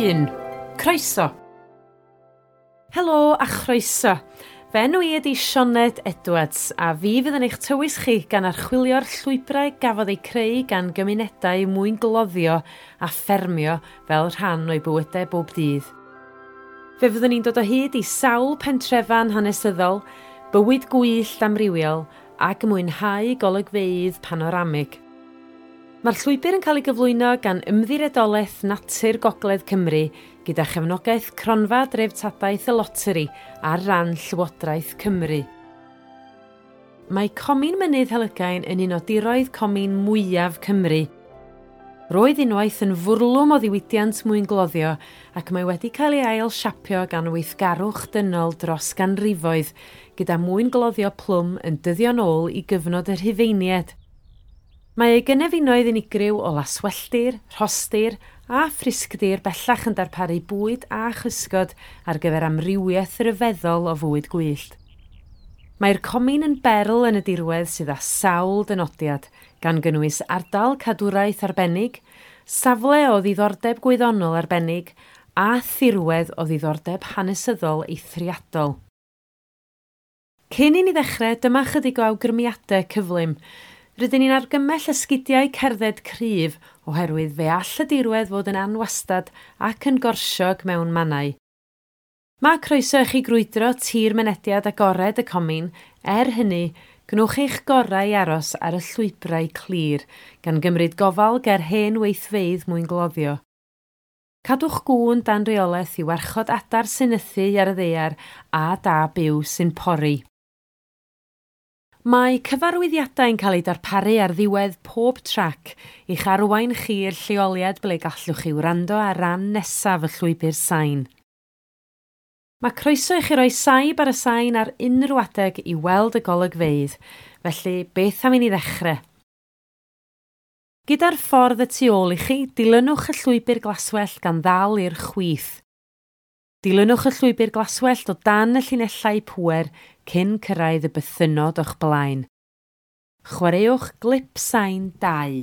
1. Croeso! Helo a chroeso! Fy enw i ydi Sioned Edwards a fi fydd yn eich tywys chi gan archwilio'r llwybrau gafodd eu creu gan gymunedau mwyngloddio a ffermio fel rhan o'i bywydau bob dydd. Fe fyddwn ni'n dod o hyd i sawl pentrefan hanesyddol, bywyd gwyllt amrywiol ac mwynhau golygfeydd panoramig. Mae'r llwybr yn cael ei gyflwyno gan Ymddiriedolaeth Natur Gogledd Cymru gyda chefnogaeth Cronfa Dreftadaeth y Loteri ar ran Llywodraeth Cymru. Mae Comin Mynydd Helygain yn un o diroedd comin mwyaf Cymru. Roedd unwaith yn fwrlwm o ddiwydiant mwyngloddio ac mae wedi cael ei ail siapio gan weithgarwch dynol dros ganrifoedd gyda mwyngloddio plwm yn dyddio'n ôl i gyfnod y Rhufeiniaid. Mae ei gynefinoedd unigryw o laswelltir, rhostir a phrisgdir bellach yn darparu bwyd a chysgod ar gyfer amrywiaeth ryfeddol o fwyd gwyllt. Mae'r comin yn berl yn y dirwedd sydd â sawl dynodiad, gan gynnwys ardal cadwraeth arbennig, safle o ddiddordeb gwyddonol arbennig a thirwedd o ddiddordeb hanesyddol eithriadol. Cyn i ni ddechrau, dyma chydig o awgrymiadau cyflym. Rydyn ni'n argymell esgidiau cerdded cryf oherwydd fe all y dirwedd fod yn anwastad ac yn gorsiog mewn mannau. Mae croeso i chi grwydro tir mynediad agored y comin, er hynny, gwnewch eich gorau i aros ar y llwybrau clir, gan gymryd gofal ger hen weithfeydd mwyngloddio. Cadwch gŵn dan reolaeth i warchod adar sy'n nythu ar y ddaear a da byw sy'n pori. Mae cyfarwyddiadau'n cael eu darparu ar ddiwedd pob trac i'ch arwain chi i'r lleoliad ble gallwch chi wrando ar ran nesaf y llwybr sain. Mae croeso i chi roi saib ar y sain ar unrhyw adeg i weld y golygfeydd, felly beth am i ni ddechrau? Gyda'r ffordd y tu ôl i chi, dilynwch y llwybr glaswellt gan ddal i'r chwith. Dilynwch y llwybr glaswellt o dan y llinellau pŵer cyn cyrraedd y bythynnod o'ch blaen. Chwaraewch glip sain 2.